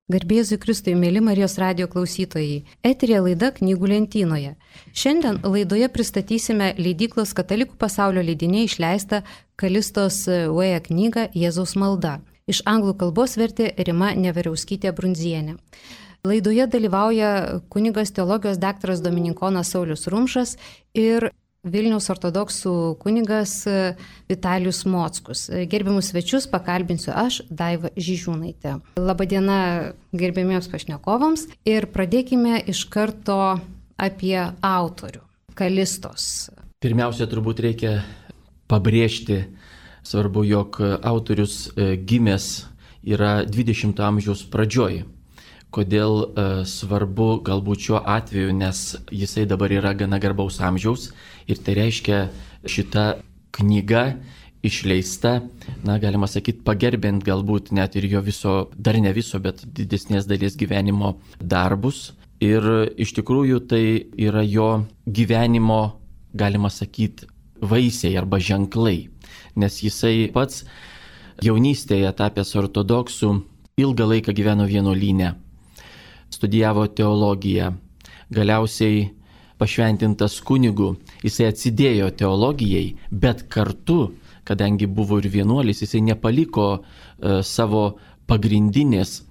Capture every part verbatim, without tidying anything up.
Garbėzui Kristui, mėly Marijos radijo klausytojai, eterija laida Knygų lentynoje. Šiandien laidoje pristatysime leidyklos Katalikų pasaulio leidiniai išleistą Kalistos Way knygą Jėzaus malda. Iš anglų kalbos vertė Rima Neveriauskytė Brundzienė. Laidoje dalyvauja kunigas teologijos daktaras dominikonas Saulius Rumšas ir Vilniaus ortodoksų kunigas Vitalijus Mockus. Gerbiamus svečius pakalbinsiu aš, Daiva Žižiūnaitė. Labadiena gerbiamiems pašnekovams ir pradėkime iš karto apie autorių, Kalistos. Pirmiausia, turbūt reikia pabrėžti, svarbu, jog autorius gimęs yra dvidešimto amžiaus pradžioj. Kodėl e, svarbu galbūt šiuo atveju, nes jisai dabar yra gana garbaus amžiaus ir tai reiškia šita knyga išleista, na, galima sakyti, pagerbent galbūt net ir jo viso, dar ne viso, bet didesnės dalies gyvenimo darbus. Ir iš tikrųjų tai yra jo gyvenimo, galima sakyti, vaisiai arba ženklai, nes jisai pats jaunystėje tapęs ortodoksų ilgą laiką gyveno vienuolyne. Studijavo teologiją, galiausiai pašventintas kunigu, jisai atsidėjo teologijai, bet kartu, kadangi buvo ir vienuolis, jisai nepaliko uh, savo pagrindinės,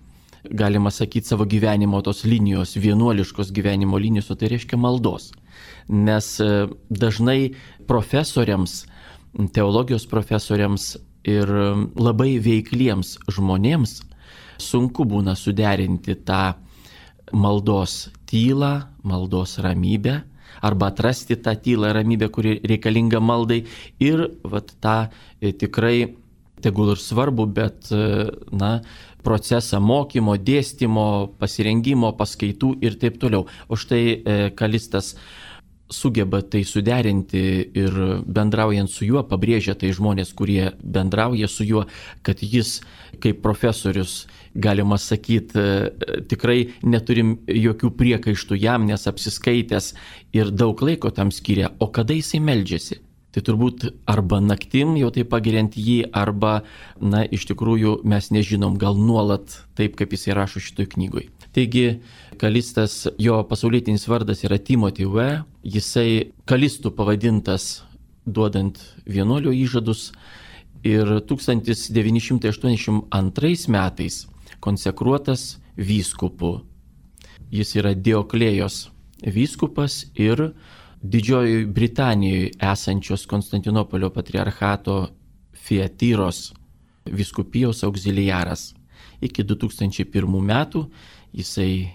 galima sakyti, savo gyvenimo tos linijos, vienuoliškos gyvenimo linijos, o tai reiškia maldos. Nes uh, dažnai profesoriams, teologijos profesoriams ir um, labai veikliems žmonėms sunku būna suderinti tą maldos tylą, maldos ramybę, arba atrasti tą tylą ir ramybę, kuri reikalinga maldai ir vat, tą e, tikrai, tegul ir svarbu, bet e, na, procesą mokymo, dėstymo, pasirengimo, paskaitų ir taip toliau. O štai e, Kalistas sugeba tai suderinti ir bendraujant su juo, pabrėžia tai žmonės, kurie bendrauja su juo, kad jis kaip profesorius, galima sakyti, tikrai neturim jokių priekaištų jam, nes apsiskaitęs ir daug laiko tam skiria. O kada jisai meldžiasi? Tai turbūt arba naktim jau tai pagiriant jį, arba, na, iš tikrųjų mes nežinom, gal nuolat taip, kaip jisai rašo šitoj knygoj. Taigi, Kalistas, jo pasaulietinis vardas yra Timothy Way, jisai Kalistų pavadintas duodant vienuolio įžadus ir tūkstantis devyni šimtai aštuoniasdešimt antrais metais konsekruotas vyskupu. Jis yra Dioklėjos vyskupas ir Didžiojoje Britanijoje esančios Konstantinopolio patriarchato Fiatyros vyskupijos auxiliaras. Iki du tūkstančiai pirmų metų jisai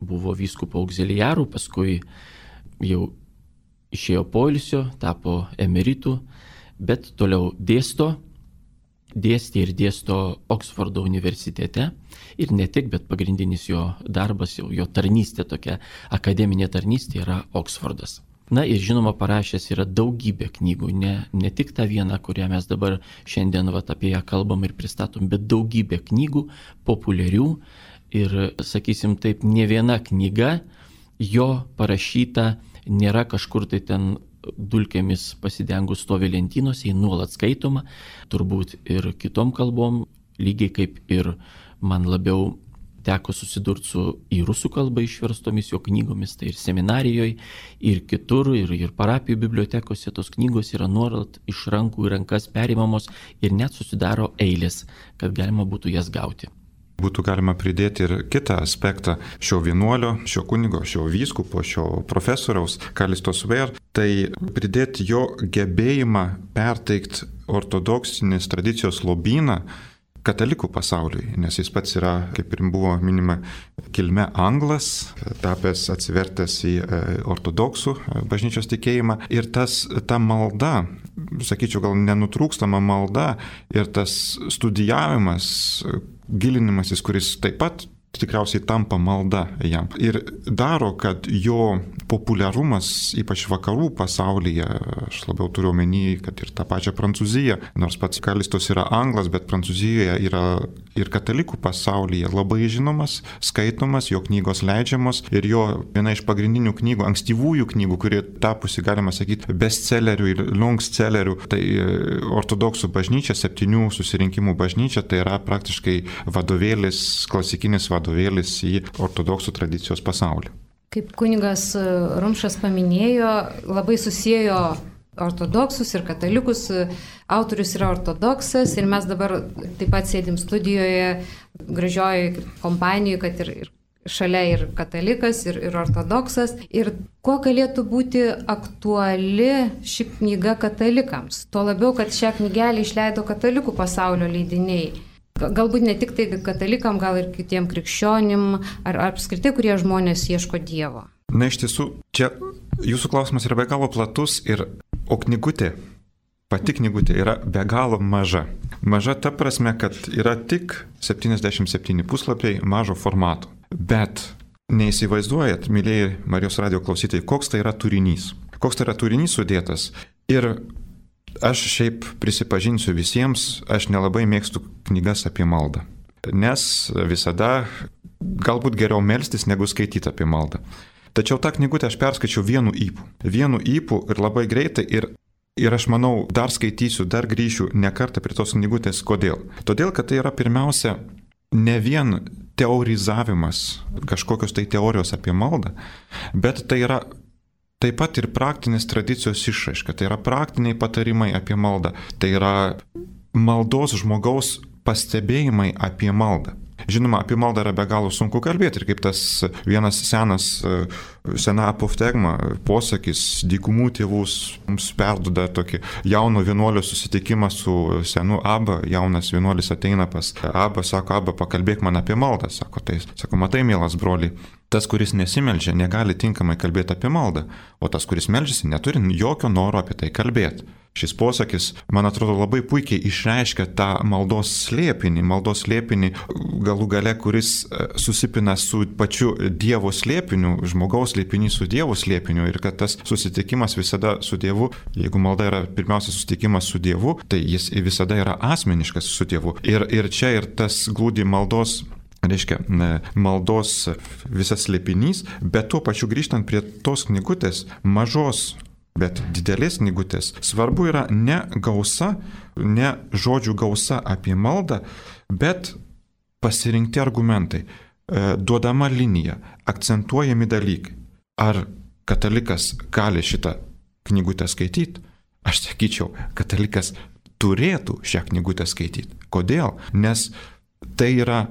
buvo vyskupo auxiliaru, paskui jau išėjo poilsio, tapo emeritu, bet toliau dėsto, dėstė ir dėsto Oksfordo universitete ir ne tik, bet pagrindinis jo darbas, jau jo tarnystė, tokia akademinė tarnystė yra Oksfordas. Na ir žinoma parašęs yra daugybė knygų, ne, ne tik tą vieną, kurią mes dabar šiandien vat, apie ją kalbam ir pristatom, bet daugybė knygų populiarių ir, sakysim taip, ne viena knyga jo parašyta nėra kažkur tai ten dulkėmis pasidengus stovi lentynose, jį nuolat skaitoma, turbūt ir kitom kalbom, lygiai kaip ir man labiau teko susidurti su į rusų kalbą išverstomis jo knygomis, tai ir seminarijoje, ir kitur, ir, ir parapijų bibliotekose tos knygos yra nuolat iš rankų į rankas perimamos ir net susidaro eilės, kad galima būtų jas gauti. Būtų galima pridėti ir kitą aspektą šio vienuolio, šio kunigo, šio vyskupo, šio profesoriaus Kalistos Way, tai pridėti jo gebėjimą perteikti ortodoksinės tradicijos lobyną katalikų pasauliui, nes jis pats yra, kaip ir buvo minima, kilme anglas, tapęs atsivertęs į ortodoksų bažnyčios tikėjimą. Ir tas, ta malda, sakyčiau, gal nenutrūkstama malda ir tas studijavimas, gilinimasis, kuris taip pat tikriausiai tampa malda jam. Ir daro, kad jo populiarumas, ypač vakarų pasaulyje, aš labiau turiu omeny, kad ir tą pačią Prancūziją, nors pats Kalistos yra anglas, bet Prancūzijoje yra ir katalikų pasaulyje labai žinomas, skaitomas, jo knygos leidžiamos ir jo viena iš pagrindinių knygų, ankstyvųjų knygų, kurie tapusi, galima sakyti, bestsellerių ir longstsellerių, tai ortodoksų bažnyčia, septynių susirinkimų bažnyčia, tai yra praktiškai vadovėlis, klasikinis vadovėlis vadovėlis į ortodoksų tradicijos pasaulį. Kaip kunigas Rumšas paminėjo, labai susiejo ortodoksus ir katalikus. Autorius yra ortodoksas ir mes dabar taip pat sėdim studijoje, gražioje kompanijoje, kad ir, ir šalia ir katalikas, ir, ir ortodoksas. Ir kuo galėtų būti aktuali ši knyga katalikams? Tuo labiau, kad šią knygelę išleido katalikų pasaulio leidiniai. Galbūt ne tik tai katalikam, gal ir kitiem krikščionim, ar apskritai, kurie žmonės ieško Dievo. Na, iš tiesų, čia jūsų klausimas yra be galo platus, ir, o knygutė, pati knygutė yra be galo maža. Maža ta prasme, kad yra tik septyniasdešimt septyni puslapiai mažo formato. Bet neįsivaizduojat, mylėjai Marijos radijo klausytojai, koks tai yra turinys. Koks tai yra turinys sudėtas. Ir aš šiaip prisipažinsiu visiems, aš nelabai mėgstu knygas apie maldą. Nes visada galbūt geriau melstis, negu skaityti apie maldą. Tačiau tą knygutę aš perskaičiau vienu ypu. Vienu ypu ir labai greitai ir, ir aš manau, dar skaitysiu, dar grįšiu ne kartą prie tos knygutės. Kodėl? Todėl, kad tai yra pirmiausia ne vien teorizavimas, kažkokios tai teorijos apie maldą, bet tai yra taip pat ir praktinės tradicijos išraiška, tai yra praktiniai patarimai apie maldą, tai yra maldos žmogaus pastebėjimai apie maldą. Žinoma, apie maldą yra be galo sunku kalbėti ir kaip tas vienas senas, sena apoftegma posakis, dykumų tėvus mums perduoda tokį jauno vienuolio susitikimą su senu Abba, jaunas vienuolis ateina pas Abba, sako, Abba, pakalbėk man apie maldą, sako, tai, sako, matai, mielas broli, tas, kuris nesimeldžia, negali tinkamai kalbėti apie maldą, o tas, kuris meldžiasi, neturi jokio noro apie tai kalbėti. Šis posakis, man atrodo, labai puikiai išreiškia tą maldos slėpinį, maldos slėpinį galų gale, kuris susipina su pačiu Dievo slėpiniu, žmogaus slėpinį su Dievo slėpiniu ir kad tas susitikimas visada su Dievu, jeigu malda yra pirmiausia susitikimas su Dievu, tai jis visada yra asmeniškas su Dievu. Ir, ir čia ir tas glūdi maldos, reiškia, maldos visas slėpinys, bet tuo pačiu grįžtant prie tos knygutės, mažos, bet didelės knygutės, svarbu yra ne gausa, ne žodžių gausa apie maldą, bet pasirinkti argumentai, duodama linija, akcentuojami dalykai. Ar katalikas gali šitą knygutę skaityti? Aš sakyčiau, katalikas turėtų šią knygutę skaityti. Kodėl? Nes tai yra,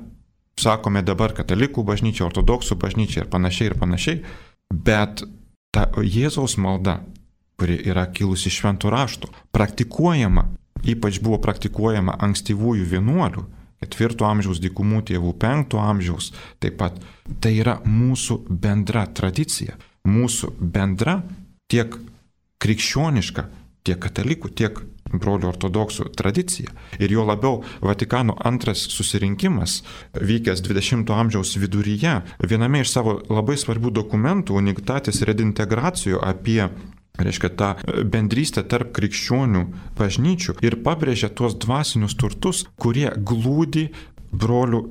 sakome dabar, katalikų bažnyčia, ortodoksų bažnyčia ir panašiai ir panašiai, bet ta Jėzaus malda, kuri yra kilusi iš šventų raštų, praktikuojama, ypač buvo praktikuojama ankstyvųjų vienuolių, ketvirto amžiaus dykumų tėvų, penkto amžiaus, taip pat tai yra mūsų bendra tradicija, mūsų bendra tiek krikščioniška, tiek katalikų, tiek brolių ortodoksų tradicija. Ir jo labiau Vatikano antras susirinkimas, vykęs dvidešimto amžiaus viduryje, viename iš savo labai svarbių dokumentų, Unitatis Redintegracijo, apie, reiškia, tą bendrystę tarp krikščionių bažnyčių ir pabrėžia tuos dvasinius turtus, kurie glūdi brolių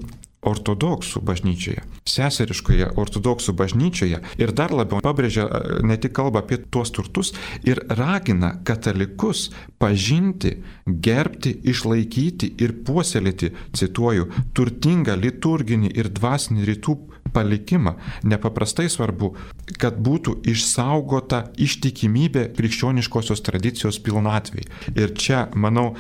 ortodoksų bažnyčioje, seseriškoje ortodoksų bažnyčioje ir dar labiau pabrėžia, ne tik kalba apie tuos turtus ir ragina katalikus pažinti, gerbti, išlaikyti ir puoselėti, cituoju, turtingą liturginį ir dvasinį rytų palikimą. Nepaprastai svarbu, kad būtų išsaugota ištikimybė krikščioniškosios tradicijos pilnatvei. Ir čia, manau,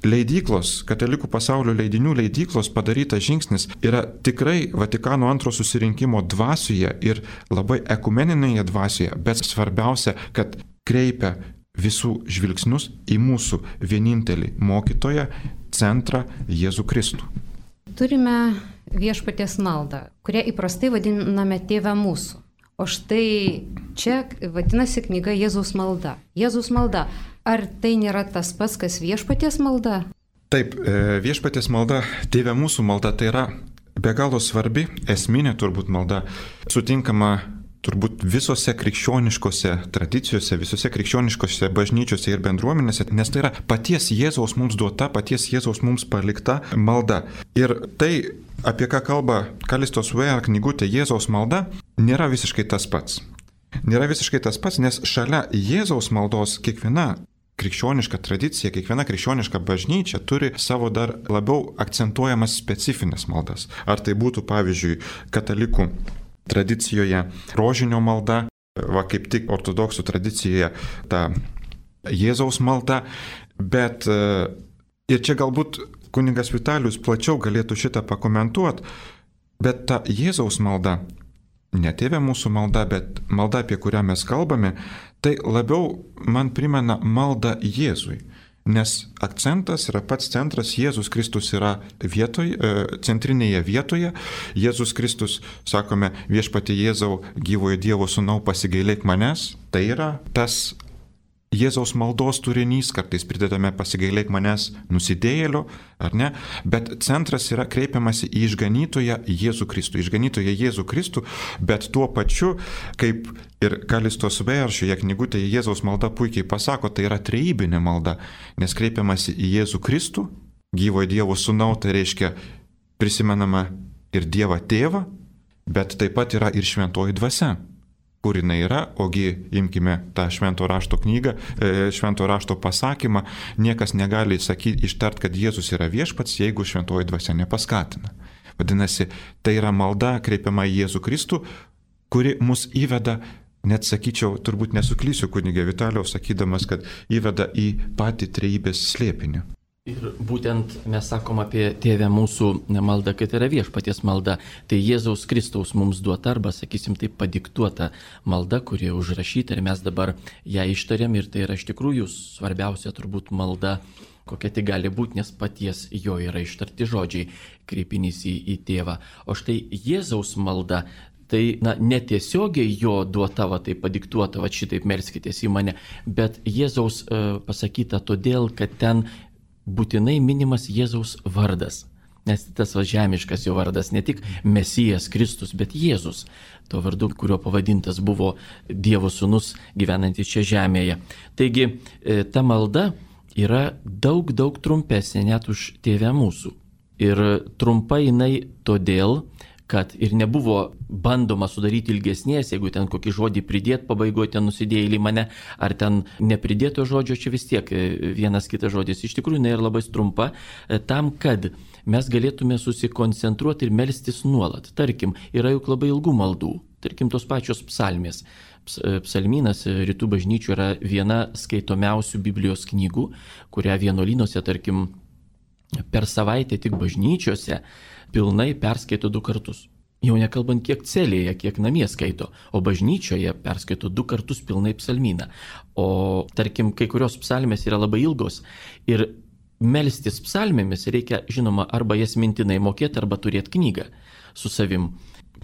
leidyklos, katalikų pasaulio leidinių leidyklos padarytas žingsnis yra tikrai Vatikano antro susirinkimo dvasioje ir labai ekumeninėje dvasioje, bet svarbiausia, kad kreipia visų žvilgsnius į mūsų vienintelį mokytoją, centrą Jėzų Kristų. Turime viešpaties maldą, kurią įprastai vadiname Tėve mūsų. O štai čia vadinasi knyga Jėzaus malda. Jėzaus malda. Ar tai nėra tas pats, kas viešpaties malda? Taip, viešpaties malda, Tėve mūsų malda, tai yra be galo svarbi, esminė turbūt malda, sutinkama turbūt visose krikščioniškose tradicijose, visose krikščioniškose bažnyčiose ir bendruomenėse, nes tai yra paties Jėzaus mums duota, paties Jėzaus mums palikta malda. Ir tai, apie ką kalba Kallistos Ware knygutė Jėzaus malda, nėra visiškai tas pats. Nėra visiškai tas pats, nes šalia Jėzaus maldos kiekviena krikščioniška tradicija, kiekviena krikščioniška bažnyčia turi savo dar labiau akcentuojamas specifines maldas. Ar tai būtų, pavyzdžiui, katalikų tradicijoje rožinio malda, va kaip tik ortodoksų tradicijoje ta Jėzaus malda, bet ir čia galbūt kunigas Vitalijus plačiau galėtų šitą pakomentuoti, bet ta Jėzaus malda, ne Tėve mūsų malda, bet malda, apie kurią mes kalbame, tai labiau man primena maldą Jėzui. Nes akcentas yra pats centras, Jėzus Kristus yra vietoj, centrinėje vietoje. Jėzus Kristus, sakome, viešpatie Jėzau, gyvojo Dievo sūnau, pasigailėk manęs. Tai yra tas Jėzaus maldos turinys, kartais pridedame pasigailėk manęs nusidėjėlio, ar ne? Bet centras yra kreipiamasi į išganytoją Jėzų Kristų, išganytoją Jėzų Kristų, bet tuo pačiu, kaip ir Kallistos Ware šioje knygutėje Jėzaus malda puikiai pasako, tai yra trejybinė malda, nes kreipiamasi į Jėzų Kristų, gyvojo Dievo sūnau, tai reiškia prisimenama ir Dievą Tėvą, bet taip pat yra ir šventoji dvasia. Kur jinai yra, ogi imkime tą švento rašto knygą, švento rašto pasakymą, niekas negali sakyti, ištart, kad Jėzus yra viešpats, jeigu šventoji dvasia nepaskatina. Vadinasi, tai yra malda kreipiama į Jėzų Kristų, kuri mus įveda, net sakyčiau, turbūt nesuklysiu kunigė Vitalijaus, sakydamas, kad įveda į patį trejybės slėpinį. Ir būtent mes sakom apie Tėvę mūsų maldą, kad yra viešpaties malda. Tai Jėzaus Kristaus mums duota arba, sakysim, taip padiktuota malda, kuri užrašyta ir mes dabar ją ištariam ir tai yra iš tikrųjų svarbiausia turbūt malda, kokia tai gali būti, nes paties jo yra ištarti žodžiai, kreipinys į, į Tėvą. O štai Jėzaus malda, tai na, netiesiogiai jo duota, va, tai padiktuota, va, šitaip melskitės į mane, bet Jėzaus e, pasakyta todėl, kad ten būtinai minimas Jėzaus vardas. Nes tas va žemiškas jo vardas, ne tik Mesijas Kristus, bet Jėzus. To vardu, kurio pavadintas buvo Dievo sūnus gyvenantis čia žemėje. Taigi ta malda yra daug, daug trumpesnė net už Tėvę mūsų. Ir trumpa jinai todėl, kad ir nebuvo bandoma sudaryti ilgesnės, jeigu ten kokį žodį pridėt pabaigoje, ten nusidėjėlį mane, ar ten nepridėto žodžio, čia vis tiek vienas kitas žodis. Iš tikrųjų, jinai yra labai trumpa, tam, kad mes galėtume susikoncentruoti ir melstis nuolat. Tarkim, yra juk labai ilgų maldų, tarkim, tos pačios psalmės. Psalmynas rytų bažnyčių yra viena skaitomiausių Biblijos knygų, kurią vienuolynuose, tarkim, per savaitę tik bažnyčiose pilnai perskaito du kartus. Jau nekalbant kiek celėje, kiek namie skaito, o bažnyčioje perskaito du kartus pilnai psalmyną. O tarkim, kai kurios psalmės yra labai ilgos ir melstis psalmėmis reikia, žinoma, arba jas mintinai mokėti, arba turėti knygą su savim,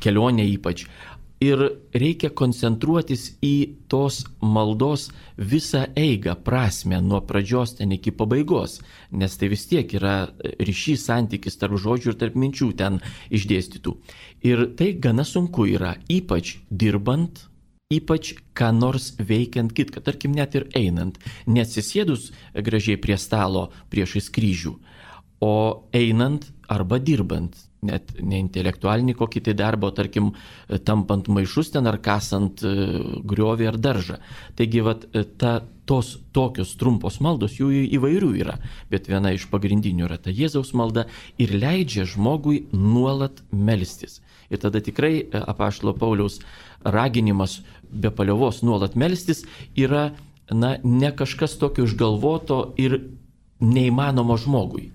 kelionė ypač. Ir reikia koncentruotis į tos maldos visą eigą, prasmę nuo pradžios ten iki pabaigos, nes tai vis tiek yra ryšys, santykis tarp žodžių ir tarp minčių ten išdėstytų. Ir tai gana sunku yra, ypač dirbant, ypač ką nors veikiant kitką, tarkim net ir einant, neatsisėdus gražiai prie stalo priešais kryžių, o einant arba dirbant. Net ne intelektualinį kokį tai darbą, tarkim, tampant maišus ten ar kasant griovį ar daržą. Taigi, vat, ta, tos tokios trumpos maldos, jų įvairių yra, bet viena iš pagrindinių yra ta Jėzaus malda ir leidžia žmogui nuolat melstis. Ir tada tikrai apaštalo Pauliaus raginimas be paliovos nuolat melstis yra na, ne kažkas tokio išgalvoto ir neįmanomo žmogui.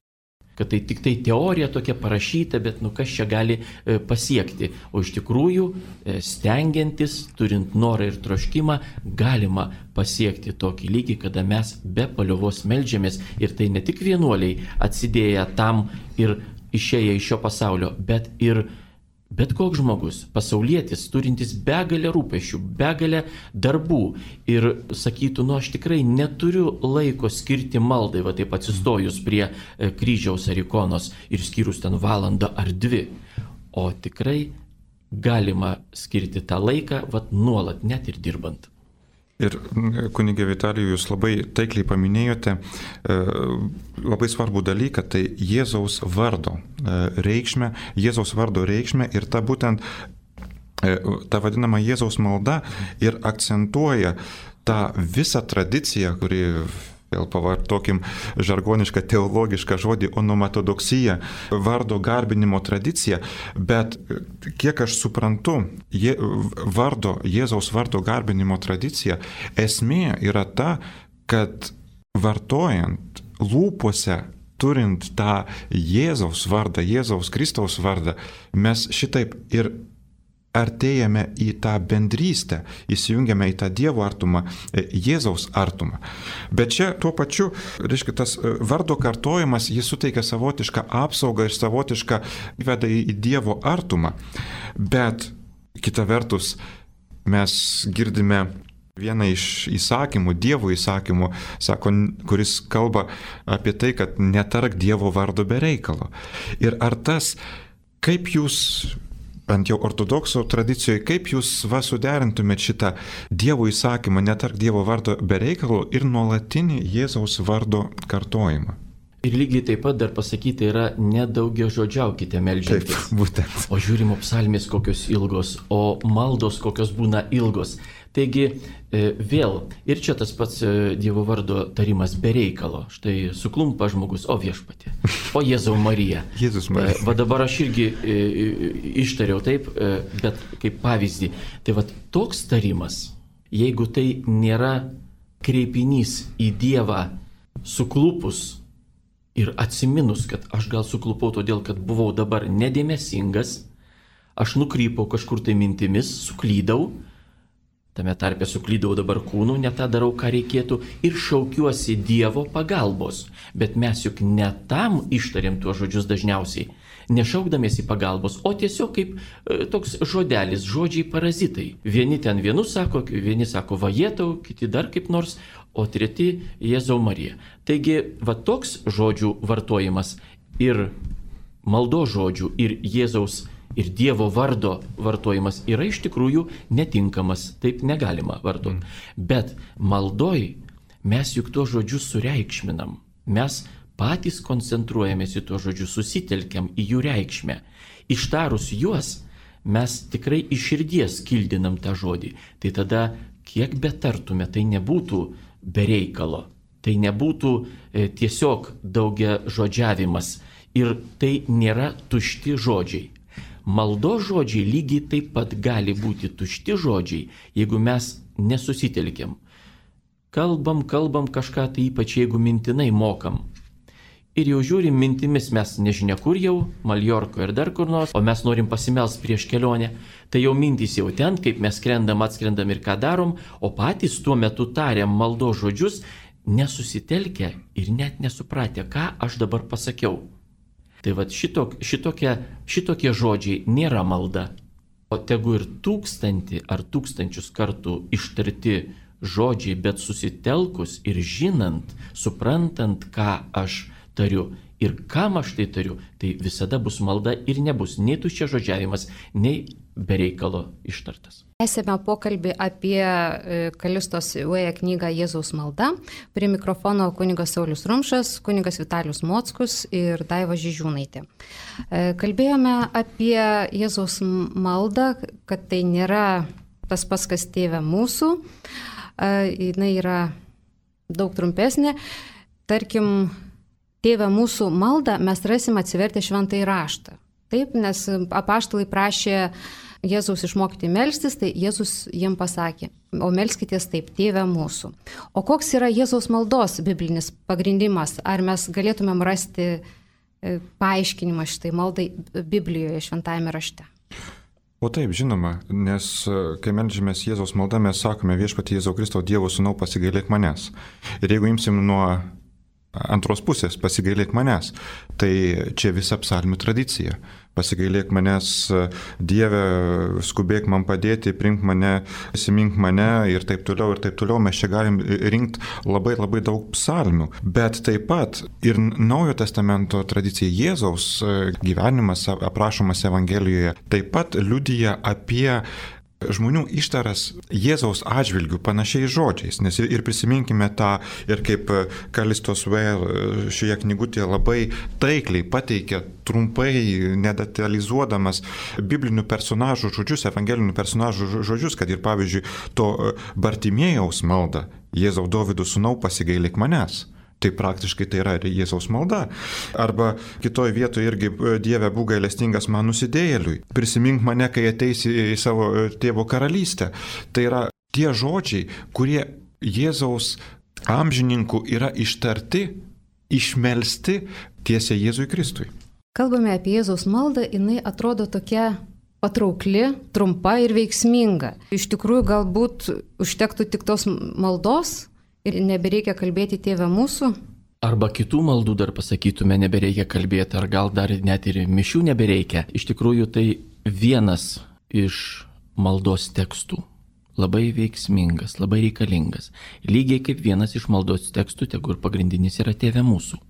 Kad tai tik tai teorija tokia parašyta, bet nu kas čia gali e, pasiekti. O iš tikrųjų, e, stengiantis, turint norą ir troškimą, galima pasiekti tokį lygį, kada mes be paliovos meldžiamės. Ir tai ne tik vienuoliai atsidėję tam ir išėję iš šio pasaulio, bet ir bet koks žmogus, pasaulietis, turintis begalę rūpesčių, begalę darbų ir sakytų, nu aš tikrai neturiu laiko skirti maldai, va taip atsistojus prie kryžiaus ar ikonos ir skyrus ten valandą ar dvi. o tikrai galima skirti tą laiką, vat nuolat, net ir dirbant. Ir kunigė Vitalijų, jūs labai taikliai paminėjote e, labai svarbų dalyką, tai Jėzaus vardo e, reikšmę, Jėzaus vardo reikšmę ir ta būtent e, ta vadinama Jėzaus malda ir akcentuoja tą visą tradiciją, kuri, vėl pavartokim žargonišką teologišką žodį, onomatodoksija, vardo garbinimo tradicija, bet kiek aš suprantu, je, vardo, Jėzaus vardo garbinimo tradicija, esmė yra ta, kad vartojant lūpose, turint tą Jėzaus vardą, Jėzaus Kristaus vardą, mes šitaip ir artėjame į tą bendrystę, įsijungiame į tą Dievo artumą, Jėzaus artumą. Bet čia tuo pačiu, reiškia, tas vardo kartojimas, jis suteikia savotišką apsaugą ir savotišką veda į Dievo artumą. Bet kita vertus, mes girdime vieną iš įsakymų, Dievo įsakymų, sako, kuris kalba apie tai, kad netark Dievo vardo be reikalo. Ir ar tas, kaip jūs ant jau ortodoksų tradicijoje, kaip jūs va suderintumėt šitą Dievo įsakymą, netark Dievo vardo be reikalo ir nuolatinį Jėzaus vardo kartojimą? Ir lygiai taip pat dar pasakyti yra nedaugiažodžiaukite meldžiantis. Taip, būtent. O žiūrimo psalmės kokios ilgos, o maldos kokios būna ilgos. Taigi vėl, ir čia tas pats Dievo vardo tarimas be reikalo. Štai suklumpa žmogus, o viešpatie, o Jėzau Marija. Jėzus Marija. Va dabar aš irgi ištariau taip, bet kaip pavyzdį. Tai va toks tarimas, jeigu tai nėra kreipinys į Dievą suklupus ir atsiminus, kad aš gal suklupau todėl, kad buvau dabar nedėmesingas, aš nukrypau kažkur tai mintimis, suklydau, tame tarpe suklydau dabar kūnu, ne tą darau, ką reikėtų, ir šaukiuosi Dievo pagalbos. Bet mes juk ne tam ištariam tuos žodžius dažniausiai, nešaukdamiesi pagalbos, o tiesiog kaip e, toks žodelis, žodžiai parazitai. Vieni ten vienus sako, vieni sako vajetau, kiti dar kaip nors, o treti Jėzau Marija. Taigi, va toks žodžių vartojimas ir maldo žodžių ir Jėzaus ir Dievo vardo vartojimas yra iš tikrųjų netinkamas, taip negalima vartoti. Bet maldoj mes juk tuos žodžius sureikšminam, mes patys koncentruojamės į tuos žodžius, susitelkiam į jų reikšmę. Ištarus juos, mes tikrai iš širdies kildinam tą žodį. Tai tada, kiek betartume, tai nebūtų be reikalo, tai nebūtų e, tiesiog daugia žodžiavimas ir tai nėra tušti žodžiai. Maldo žodžiai lygiai taip pat gali būti tušti žodžiai, jeigu mes nesusitelkiam. Kalbam, kalbam kažką, tai ypač jeigu mintinai mokam. Ir jau žiūrim mintimis, mes nežinia kur jau, Maljorko ir dar kur nors, o mes norim pasimelst prieš kelionę. Tai jau mintys jau ten, kaip mes skrendam, atskrendam ir ką darom, o patys tuo metu tariam maldo žodžius, nesusitelkę ir net nesupratę, ką aš dabar pasakiau. Tai va šitok, šitokie, šitokie žodžiai nėra malda, o tegu ir tūkstantį ar tūkstančius kartų ištarti žodžiai, bet susitelkus ir žinant, suprantant, ką aš tariu ir kam aš tai tariu, tai visada bus malda ir nebus nei tuščia žodžiavimas, nei bereikalo ištartas. Esame pokalbį apie Kalistos Uėja knygą Jėzaus malda. Prie mikrofono kunigas Saulius Rumšas, kunigas Vitalijus Mockus ir Daiva Žižiūnaitė. Kalbėjome apie Jėzaus maldą, kad tai nėra tas pats, kas Tėve mūsų. Jis yra daug trumpesnė. Tarkim, Tėve mūsų maldą mes rasim atsivertę šventąjį raštą. Taip, nes apaštalai prašė Jėzaus išmokyti melstis, tai Jėzus jiem pasakė, o melskitės taip, Tėve mūsų. O koks yra Jėzaus maldos biblinis pagrindimas? Ar mes galėtumėm rasti paaiškinimą šitai maldai Biblijoje, šventajame rašte? O taip, žinoma, nes kai meldžiamės Jėzaus maldą, mes sakome viešpatie Jėzau Kristau, Dievo sūnau, pasigailėk manęs. Ir jeigu imsim nuo antros pusės, pasigailėk manęs. Tai čia visa psalmių tradicija. Pasigailėk manęs, Dieve, skubėk man padėti, primk mane, įsimink mane ir taip toliau, ir taip toliau. Mes čia galim rinkti labai labai daug psalmių. Bet taip pat ir Naujojo testamento tradicija, Jėzaus gyvenimas aprašomas Evangelijoje, taip pat liudija apie žmonių ištaras Jėzaus atžvilgių panašiais žodžiais, nes ir prisiminkime tą, ir kaip Kalistos Weir šioje knygutėje labai taikliai pateikia, trumpai, nedetalizuodamas biblinių personažų žodžius, evangelinių personažų žodžius, kad ir pavyzdžiui to Bartimėjaus maldą, Jėzau Dovydo sūnau, pasigailėk manęs. Tai praktiškai tai yra Jėzaus malda. Arba kitoje vietoje irgi Dieve būk gailestingas man nusidėjėliui. Prisimink mane, kai ateisi į savo tėvo karalystę. Tai yra tie žodžiai, kurie Jėzaus amžininkų yra ištarti, išmelsti tiesiai Jėzui Kristui. Kalbame apie Jėzaus maldą, jinai atrodo tokia patraukli, trumpa ir veiksminga. Iš tikrųjų, galbūt užtektų tik tos maldos ir nebereikia kalbėti Tėve mūsų. Arba kitų maldų dar pasakytume, nebereikia kalbėti, ar gal dar net ir mišių nebereikia. Iš tikrųjų, tai vienas iš maldos tekstų. Labai veiksmingas, labai reikalingas. Lygiai kaip vienas iš maldos tekstų, tegu ir pagrindinis yra Tėve mūsų.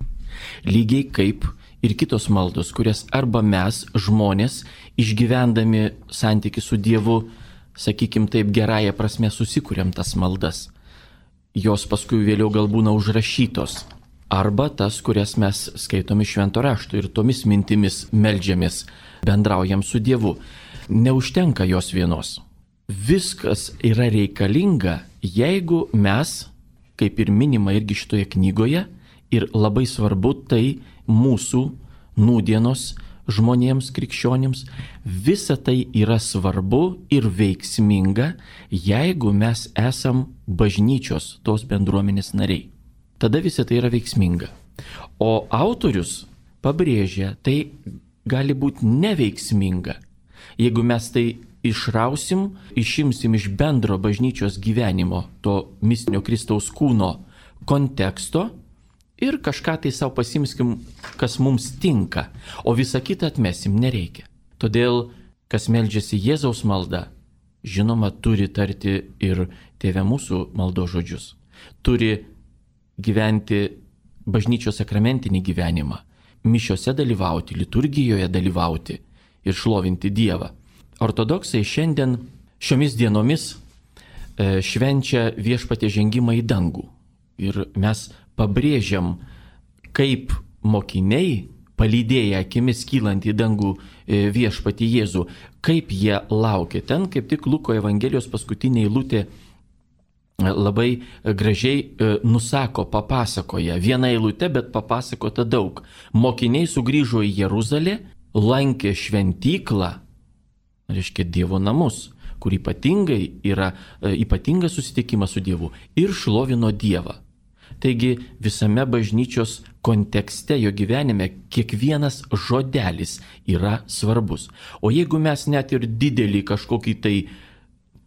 Lygiai kaip ir kitos maldos, kurias arba mes, žmonės, išgyvendami santykių su Dievu, sakykim taip, gerąją prasme susikuriam tas maldas. Jos paskui vėliau gal būna užrašytos. Arba tas, kurias mes skaitom iš Švento rašto ir tomis mintimis meldžiamės, bendraujam su Dievu. Neužtenka jos vienos. Viskas yra reikalinga, jeigu mes, kaip ir minima irgi šitoje knygoje, ir labai svarbu tai mūsų nūdienos žmonėms, krikščionims, visa tai yra svarbu ir veiksminga, jeigu mes esam bažnyčios, tos bendruomenės nariai. Tada visa tai yra veiksminga. O autorius pabrėžia, tai gali būti neveiksminga, jeigu mes tai išrausim, išimsim iš bendro bažnyčios gyvenimo, to mistinio Kristaus kūno konteksto, ir kažką tai savo pasimskim, kas mums tinka, o visą kitą atmesim nereikia. Todėl, kas meldžiasi Jėzaus maldą, žinoma, turi tarti ir Tėve mūsų maldos žodžius. Turi gyventi bažnyčios sakramentinį gyvenimą, mišiose dalyvauti, liturgijoje dalyvauti ir šlovinti Dievą. Ortodoksai šiandien šiomis dienomis e, švenčia Viešpaties žengimą į dangų. Ir mes pabrėžiam, kaip mokiniai, palydėję akimis kylant į dangų Viešpatį Jėzų, kaip jie laukia. Ten kaip tik Luko Evangelijos paskutinė eilutė labai gražiai nusako, papasakoja. Viena eilutė, bet papasakota daug. Mokiniai sugrįžo į Jeruzalę, lankė šventyklą, reiškia Dievo namus, kur ypatingai yra ypatingas susitikimas su Dievu, ir šlovino Dievą. Taigi visame bažnyčios kontekste, jo gyvenime, kiekvienas žodelis yra svarbus. O jeigu mes net ir didelį kažkokį tai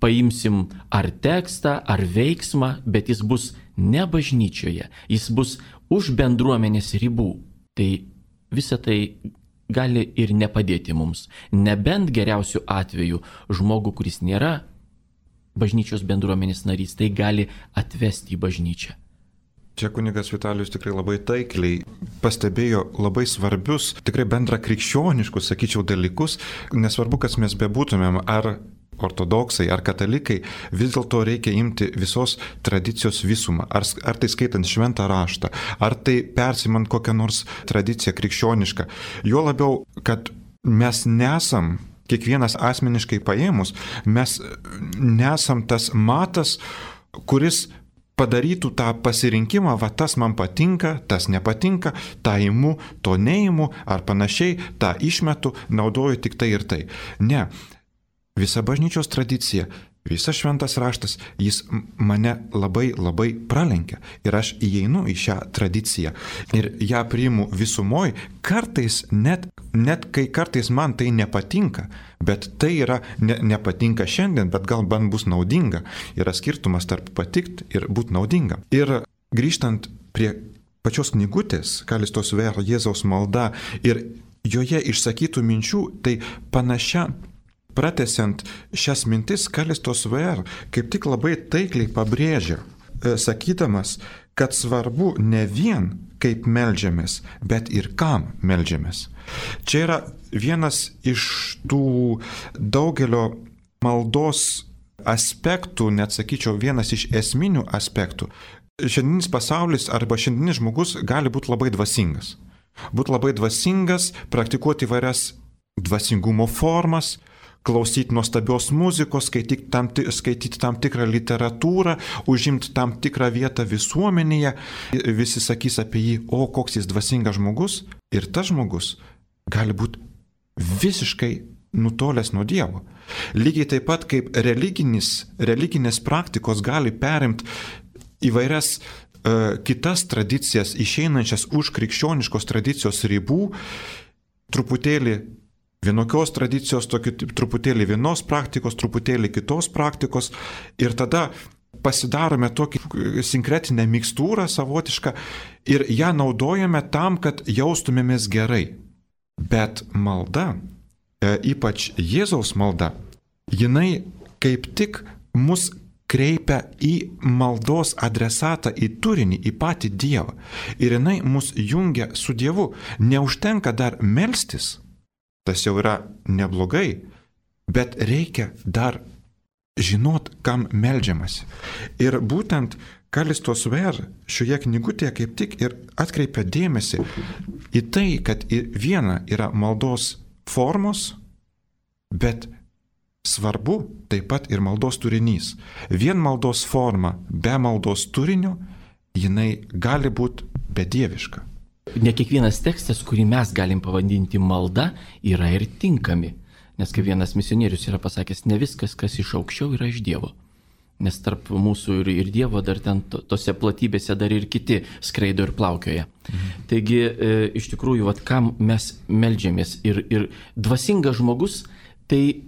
paimsim ar tekstą, ar veiksmą, bet jis bus ne bažnyčioje, jis bus už bendruomenės ribų, tai visa tai gali ir nepadėti mums. Nebent geriausiu atveju žmogų, kuris nėra bažnyčios bendruomenės narys, tai gali atvesti į bažnyčią. Čia kunigas Vitalijus tikrai labai taikliai pastebėjo labai svarbius, tikrai bendra krikščioniškus, sakyčiau, dalykus. Nesvarbu, kas mes bebūtumėm, ar ortodoksai, ar katalikai, vis dėlto reikia imti visos tradicijos visumą. Ar, ar tai skaitant šventą raštą, ar tai persimant kokią nors tradiciją krikščionišką. Jo labiau, kad mes nesam, kiekvienas asmeniškai paėmus, mes nesam tas matas, kuris padarytų tą pasirinkimą, va tas man patinka, tas nepatinka, tą imu, to neimu, ar panašiai, tą išmetu, naudoju tik tai ir tai. Ne, visa bažnyčios tradicija, visas šventas raštas, jis mane labai labai pralenkia ir aš įeinu į šią tradiciją ir ją priimu visumoj, kartais net, net kai kartais man tai nepatinka, bet tai yra ne, nepatinka šiandien, bet gal man bus naudinga. Yra skirtumas tarp patikt ir būti naudinga. Ir grįžtant prie pačios knygutės Kalistos Ver Jėzaus malda ir joje išsakytų minčių, tai panašia, pratęsiant šias mintis, Kalistos Ver kaip tik labai taikliai pabrėžia, sakydamas, kad svarbu ne vien kaip meldžiamės, bet ir kam meldžiamės. Čia yra vienas iš tų daugelio maldos aspektų, net sakyčiau, vienas iš esminių aspektų. Šiandieninis pasaulis arba šiandieninis žmogus gali būti labai dvasingas. Būti labai dvasingas, praktikuoti įvairias dvasingumo formas, klausyti nuostabios muzikos, skaityti tam, skaityti tam tikrą literatūrą, užimti tam tikrą vietą visuomenėje. Visi sakys apie jį, o koks jis dvasingas žmogus. Ir tas žmogus gali būti visiškai nutolęs nuo Dievo. Lygiai taip pat kaip religinis, religinės praktikos gali perimti įvairias uh, kitas tradicijas, išeinančias už krikščioniškos tradicijos ribų, truputėlį vienokios tradicijos, tokį, truputėlį vienos praktikos, truputėlį kitos praktikos, ir tada pasidarome tokį sinkretinę mikstūrą savotišką ir ją naudojame tam, kad jaustumėmės gerai. Bet malda, e, ypač Jėzaus malda, jinai kaip tik mus kreipia į maldos adresatą, į turinį, į patį Dievą. Ir jinai mus jungia su Dievu. Neužtenka dar melstis, tas jau yra neblogai, bet reikia dar žinot, kam meldžiamasi. Ir būtent Kalistos Ver šioje knygutėje kaip tik ir atkreipia dėmesį į tai, kad viena yra maldos formos, bet svarbu taip pat ir maldos turinys. Vien maldos forma be maldos turinio, jinai gali būti bedieviška. Ne kiekvienas tekstas, kurį mes galim pavadinti malda, yra ir tinkami. Nes kaip vienas misionierius yra pasakęs, ne viskas, kas iš aukščiau, yra iš Dievo. Nes tarp mūsų ir, ir Dievo dar ten to, tose platybėse dar ir kiti skraido ir plaukioja. Mhm. Taigi, e, iš tikrųjų, vat, kam mes meldžiamės. Ir, ir dvasingas žmogus tai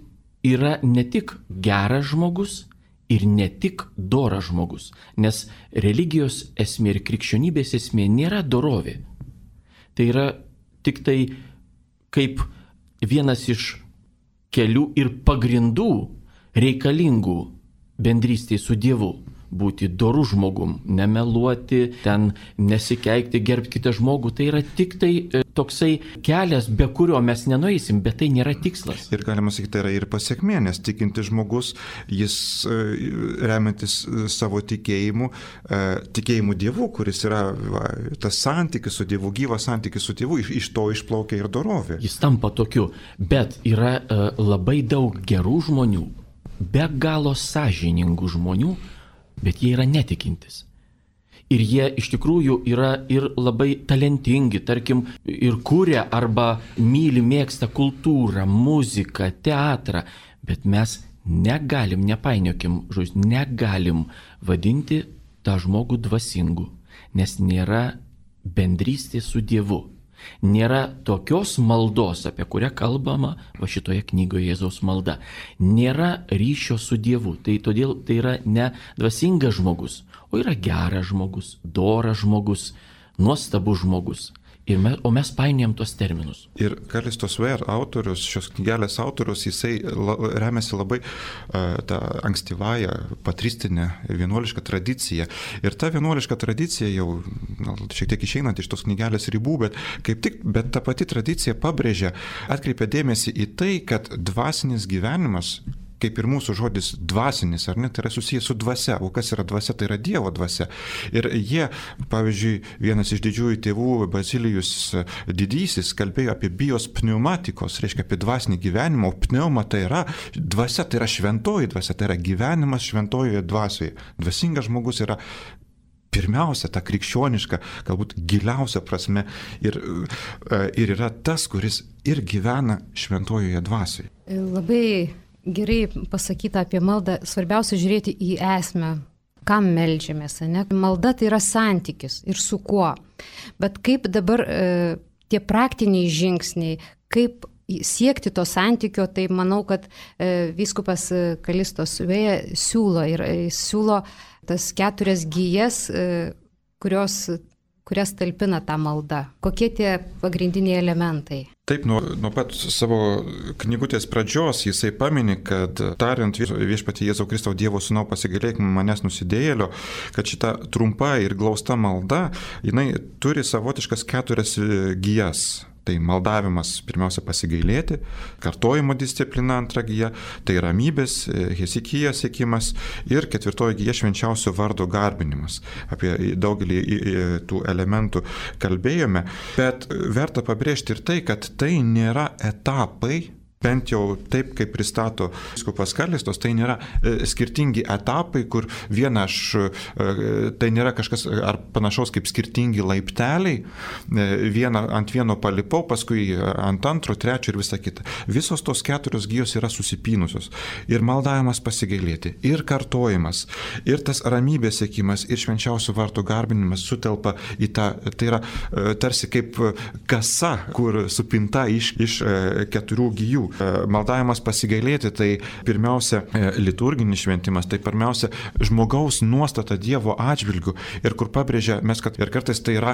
yra ne tik geras žmogus ir ne tik doras žmogus. Nes religijos esmė ir krikščionybės esmė nėra dorovė. Tai yra tik tai kaip vienas iš kelių ir pagrindų reikalingų bendrystėje su Dievu. Būti doru žmogum, nemeluoti, ten nesikeikti, gerbti kitą žmogų. Tai yra tik tai e, toksai kelias, be kurio mes nenueisim, bet tai nėra tikslas. Ir galima sakyti, tai yra ir pasiekmė, nes tikintis žmogus, jis e, remiantis savo tikėjimu, e, tikėjimu Dievu, kuris yra va, tas santykis su Dievu, gyvas santykis su Dievu, iš, iš to išplaukia ir dorovė. Jis tampa tokiu, bet yra e, labai daug gerų žmonių, be galo sąžiningų žmonių, bet jie yra netikintis. Ir jie iš tikrųjų yra ir labai talentingi, tarkim, ir kuria arba myli, mėgsta kultūrą, muziką, teatrą, bet mes negalim, nepainiokim žodžius, negalim vadinti tą žmogų dvasingu, nes nėra bendrystės su Dievu. Nėra tokios maldos, apie kurią kalbama va šitoje knygoje Jėzaus malda. Nėra ryšio su Dievu. Tai todėl tai yra ne dvasingas žmogus, o yra geras žmogus, doras žmogus, nuostabus žmogus. Ir mes, o mes painiojam tos terminus. Ir Kalistos Ver autorius, šios knygelės autorius, jisai la, remiasi labai uh, tą ankstyvąją patristinę vienuolišką tradiciją. Ir ta vienuoliška tradicija jau na, šiek tiek išeinant iš tos knygelės ribų, bet kaip tik, bet ta pati tradicija pabrėžia, atkreipia dėmesį į tai, kad dvasinis gyvenimas, kaip ir mūsų žodis dvasinis, ar ne, tai yra susijęs su dvasia. O kas yra dvasia? Tai yra Dievo dvasia. Ir jie, pavyzdžiui, vienas iš didžiųjų tėvų, Bazilijus didysis, kalbėjo apie bios pneumatikos, reiškia apie dvasinį gyvenimą, o pneuma tai yra dvasia, tai yra šventoji dvasia, tai yra gyvenimas šventojoje dvasioje. Dvasingas žmogus yra pirmiausia, ta krikščioniška, galbūt giliausia prasme ir, ir yra tas, kuris ir gyvena šventojoje dvasioje. Labai gerai pasakyta apie maldą, svarbiausia žiūrėti į esmę, kam meldžiamės. Ne? Malda tai yra santykis ir su kuo. Bet kaip dabar e, tie praktiniai žingsniai, kaip siekti to santykio, tai manau, kad e, vyskupas Kalistos Ver siūlo ir e, siūlo tas keturias gijas, e, kurios kurias talpina tą maldą? Kokie tie pagrindiniai elementai? Taip, nuo, nuo pat savo knygutės pradžios jisai pamini, kad tariant viešpatie Jėzau Kristau Dievo Sūnau pasigailėk manęs nusidėjėlio, kad šita trumpa ir glausta malda, jinai turi savotiškas keturias gijas. Tai maldavimas pirmiausia pasigailėti, kartojimo disciplina antra gija, tai ramybės, Hezekijo siekimas ir ketvirtoji gija švenčiausio vardo garbinimas. Apie daugelį tų elementų kalbėjome, bet verta pabrėžti ir tai, kad tai nėra etapai, bent jau taip, kaip pristato vyskupas Kalistos, tai nėra e, skirtingi etapai, kur viena aš, e, tai nėra kažkas ar panašaus kaip skirtingi laipteliai, e, vieną, ant vieno palipau, paskui ant antro, trečio ir visa kita. Visos tos keturios gijos yra susipynusios. Ir maldavimas pasigailėti, ir kartojimas, ir tas ramybės siekimas, ir švenčiausio vardo garbinimas sutelpa į tą, tai yra e, tarsi kaip kasa, kur supinta iš, iš e, keturių gijų. Maldavimas pasigailėti, tai pirmiausia liturginis šventimas, tai pirmiausia žmogaus nuostata Dievo atžvilgių ir kur pabrėžia mes, kad ir kartais tai yra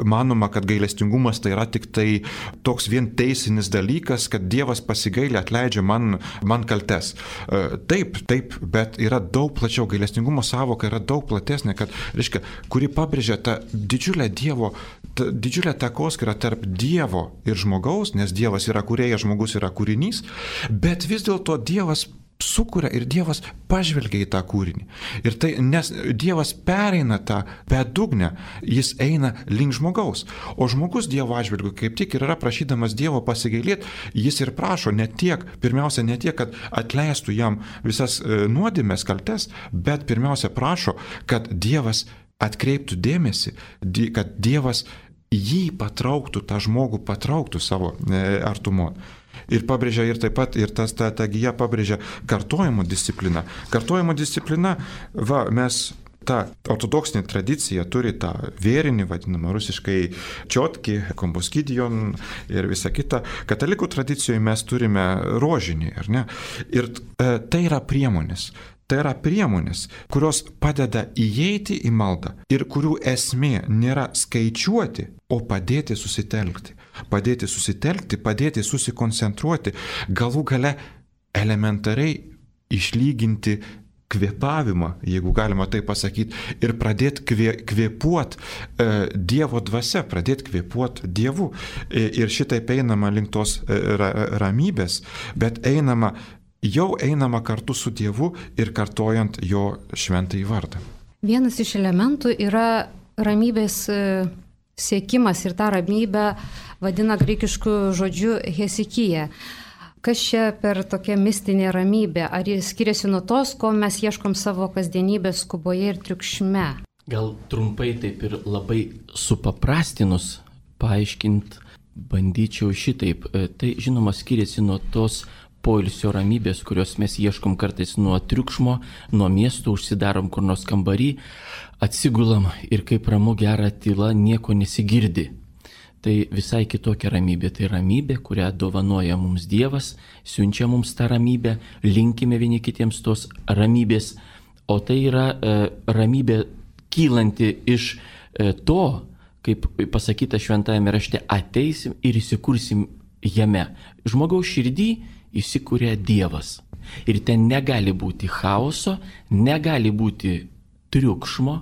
manoma, kad gailestingumas tai yra tik tai toks vien teisinis dalykas, kad Dievas pasigailė, atleidžia man, man kaltes. Taip, taip, bet yra daug plačiau, gailestingumo savoka yra daug platesnė, kad, reiškia, kuri pabrėžia tą didžiulę Dievo, tą didžiulę takoskyrą tarp Dievo ir žmogaus, nes Dievas yra kūrėjas, žmogus yra kūrėjas, bet vis dėlto Dievas sukuria ir Dievas pažvelgia į tą kūrinį. Ir tai, nes Dievas pereina tą bedugnę, jis eina link žmogaus. O žmogus Dievo atžvilgiu kaip tik ir yra prašydamas Dievo pasigailėti, jis ir prašo ne tiek, pirmiausia ne tiek, kad atleistų jam visas nuodėmes, kaltes, bet pirmiausia prašo, kad Dievas atkreiptų dėmesį, kad Dievas jį patrauktų, tą žmogų patrauktų savo artumon. Ir pabrėžia ir taip pat, ir tas ta, ta gija pabrėžia kartojimo discipliną. Kartojimo disciplina, va, mes ta ortodoksinė tradicija turi tą vėrinį, vadinamą rusiškai čiotki, kombuskidion ir visa kita. Katalikų tradicijoje mes turime rožinį, ar ne? Ir e, tai yra priemonės. Tai yra priemonės, kurios padeda įeiti į maldą ir kurių esmė nėra skaičiuoti, o padėti susitelkti. Padėti susitelkti, padėti susikoncentruoti, galų gale elementariai išlyginti kvėpavimą, jeigu galima tai pasakyti, ir pradėti kvė, kvėpuoti e, Dievo dvasia, pradėti kvėpuoti Dievu. E, ir šitaip einama link tos e, ra, ramybės, bet einama jau einama kartu su Dievu ir kartojant jo šventąjį vardą. Vienas iš elementų yra ramybės siekimas ir tą ramybę vadina graikišku žodžiu Hezekiją. Kas čia per tokia mistinė ramybė? Ar jis skiriasi nuo tos, ko mes ieškom savo kasdienybės skuboje ir triukšme? Gal trumpai taip ir labai supaprastinus paaiškinti bandyčiau šitaip. Tai žinoma skiriasi nuo tos poilsio ramybės, kurios mes ieškom kartais nuo triukšmo, nuo miesto, užsidarom kur nors kambarį, atsigulam ir kaip ramu gera tyla, nieko nesigirdi. Tai visai kitokia ramybė. Tai ramybė, kurią dovanoja mums Dievas, siunčia mums tą ramybę, linkime vieni kitiems tos ramybės, o tai yra e, ramybė kylanti iš e, to, kaip pasakyta šventajame rašte, ateisim ir įsikursim jame. Žmogaus širdį įsikūrė Dievas. Ir ten negali būti chaoso, negali būti triukšmo,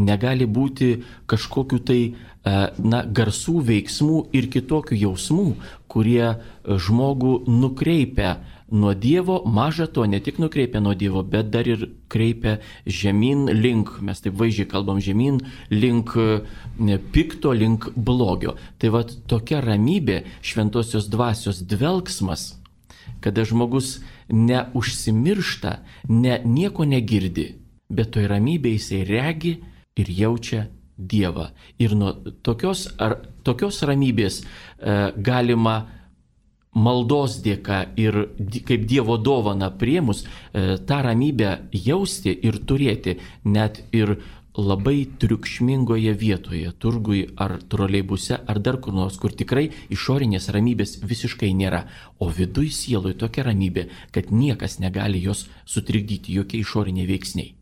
negali būti kažkokių tai na, garsų, veiksmų ir kitokių jausmų, kurie žmogų nukreipia nuo Dievo, maža to, ne tik nukreipia nuo Dievo, bet dar ir kreipia žemyn link, mes taip vaizdžiai kalbam, žemyn link pikto, link blogio. Tai va tokia ramybė, šventosios dvasios dvelksmas, kada žmogus neužsimiršta, ne, nieko negirdi, bet toj ramybėje jisai regi ir jaučia Dievą. Ir nuo tokios, ar, tokios ramybės e, galima maldos dėka ir kaip Dievo dovana priėmus e, tą ramybę jausti ir turėti net ir labai triukšmingoje vietoje, turgui ar troleibuse ar dar kur nors, kur tikrai išorinės ramybės visiškai nėra, o viduj sieloj tokia ramybė, kad niekas negali jos sutrikdyti, jokie išoriniai veiksniai.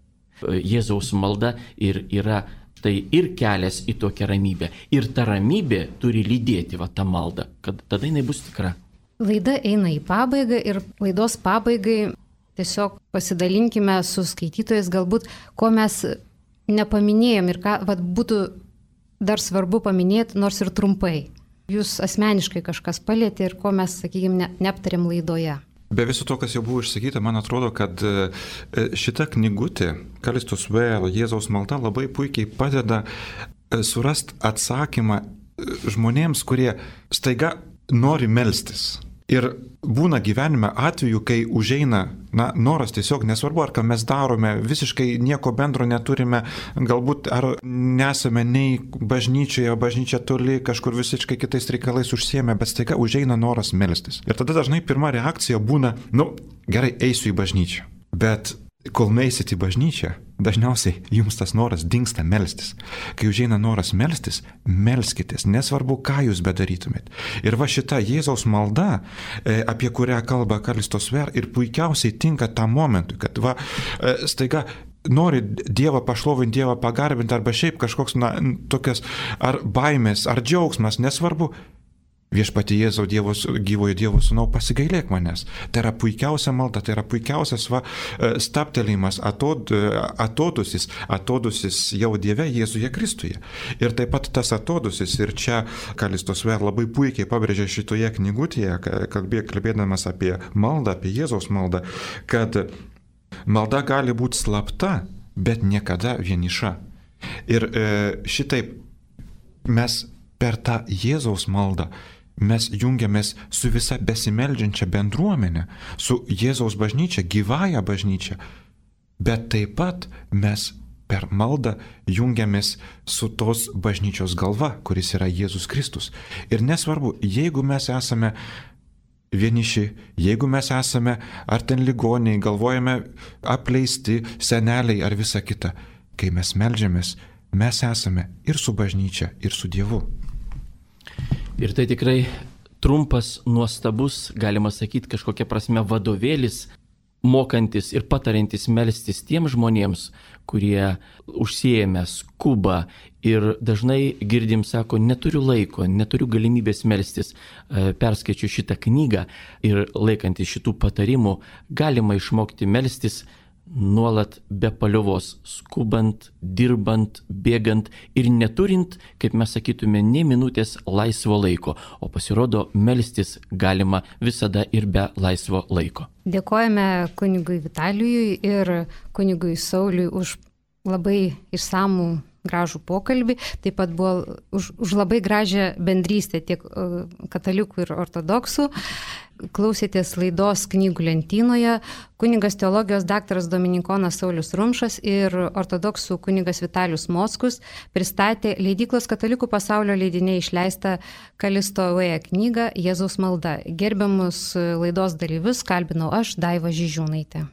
Jėzaus malda ir yra Tai ir kelias į tokią ramybę. Ir ta ramybė turi lydėti va tą maldą, kad tada jinai bus tikra. Laida eina į pabaigą ir laidos pabaigai tiesiog pasidalinkime su skaitytojais galbūt, ko mes nepaminėjom ir ką vat, būtų dar svarbu paminėti, nors ir trumpai. Jūs asmeniškai kažkas palėtė ir ko mes, sakykime, ne, neaptarėm laidoje. Be viso to, kas jau buvo išsakyta, man atrodo, kad šita knygutė, Kalistos Ware, Jėzaus malda, labai puikiai padeda surasti atsakymą žmonėms, kurie staiga nori melstis. Ir būna gyvenime atveju, kai užeina na, noras tiesiog, nesvarbu, ar ką mes darome, visiškai nieko bendro neturime, galbūt ar nesame nei bažnyčioje, bažnyčia toli, kažkur visiškai kitais reikalais užsiėmė, bet staiga užeina noras melstis. Ir tada dažnai pirma reakcija būna, nu, gerai, eisiu į bažnyčią. Bet kol nueisit į bažnyčią, dažniausiai jums tas noras dingsta melstis. Kai užeina noras melstis, melskitės, nesvarbu, ką jūs bedarytumėt. Ir va šita Jėzaus malda, apie kurią kalba Kalistos Ware, ir puikiausiai tinka tam momentui, kad va staiga nori Dievą pašlovinti, Dievą pagarbinti, arba šiaip kažkoks, na, tokias, ar baimės, ar džiaugsmas, nesvarbu. Viešpatie Jėzau, Dievo, gyvojo Dievo sūnau, pasigailėk manęs. Tai yra puikiausia malda, tai yra puikiausias va, staptelėjimas, atod, atodusis, atodusis jau Dieve Jėzuje Kristuje. Ir taip pat tas atodusis, ir čia Kalistos Ware labai puikiai pabrėžė šitoje knygutėje, kalbė, kalbėdamas apie maldą, apie Jėzaus maldą, kad malda gali būti slapta, bet niekada vieniša. Ir e, šitaip mes per tą Jėzaus maldą mes jungiamės su visa besimeldžiančia bendruomenė, su Jėzaus bažnyčia, gyvąja bažnyčia, bet taip pat mes per maldą jungiamės su tos bažnyčios galva, kuris yra Jėzus Kristus. Ir nesvarbu, jeigu mes esame vieniši, jeigu mes esame ar ten ligoniai, galvojame apleisti, seneliai ar visa kita, kai mes meldžiamės, mes esame ir su bažnyčia, ir su Dievu. Ir tai tikrai trumpas, nuostabus, galima sakyti, kažkokia prasme vadovėlis, mokantis ir patarintis melstis tiem žmonėms, kurie užsiėmę, skuba ir dažnai girdim, sako, neturiu laiko, neturiu galimybės melstis. Perskaičiu šitą knygą ir laikantis šitų patarimų galima išmokti melstis nuolat be paliovos, skubant, dirbant, bėgant ir neturint, kaip mes sakytume, ne minutės laisvo laiko, o pasirodo melstis galima visada ir be laisvo laiko. Dėkojame kunigui Vitalijui ir kunigui Sauliui už labai išsamų gražų pokalbį, taip pat buvo už, už labai gražią bendrystę tiek katalikų ir ortodoksų. Klausėtės laidos Knygų lentynoje. Kunigas teologijos daktaras Dominikonas Saulius Rumšas ir ortodoksų kunigas Vitalijus Mockus pristatė leidyklos Katalikų pasaulio leidiniai išleistą Kalisto Ware knygą Jėzaus malda. Gerbiamus laidos dalyvius kalbinau aš, Daiva Žižiūnaitė.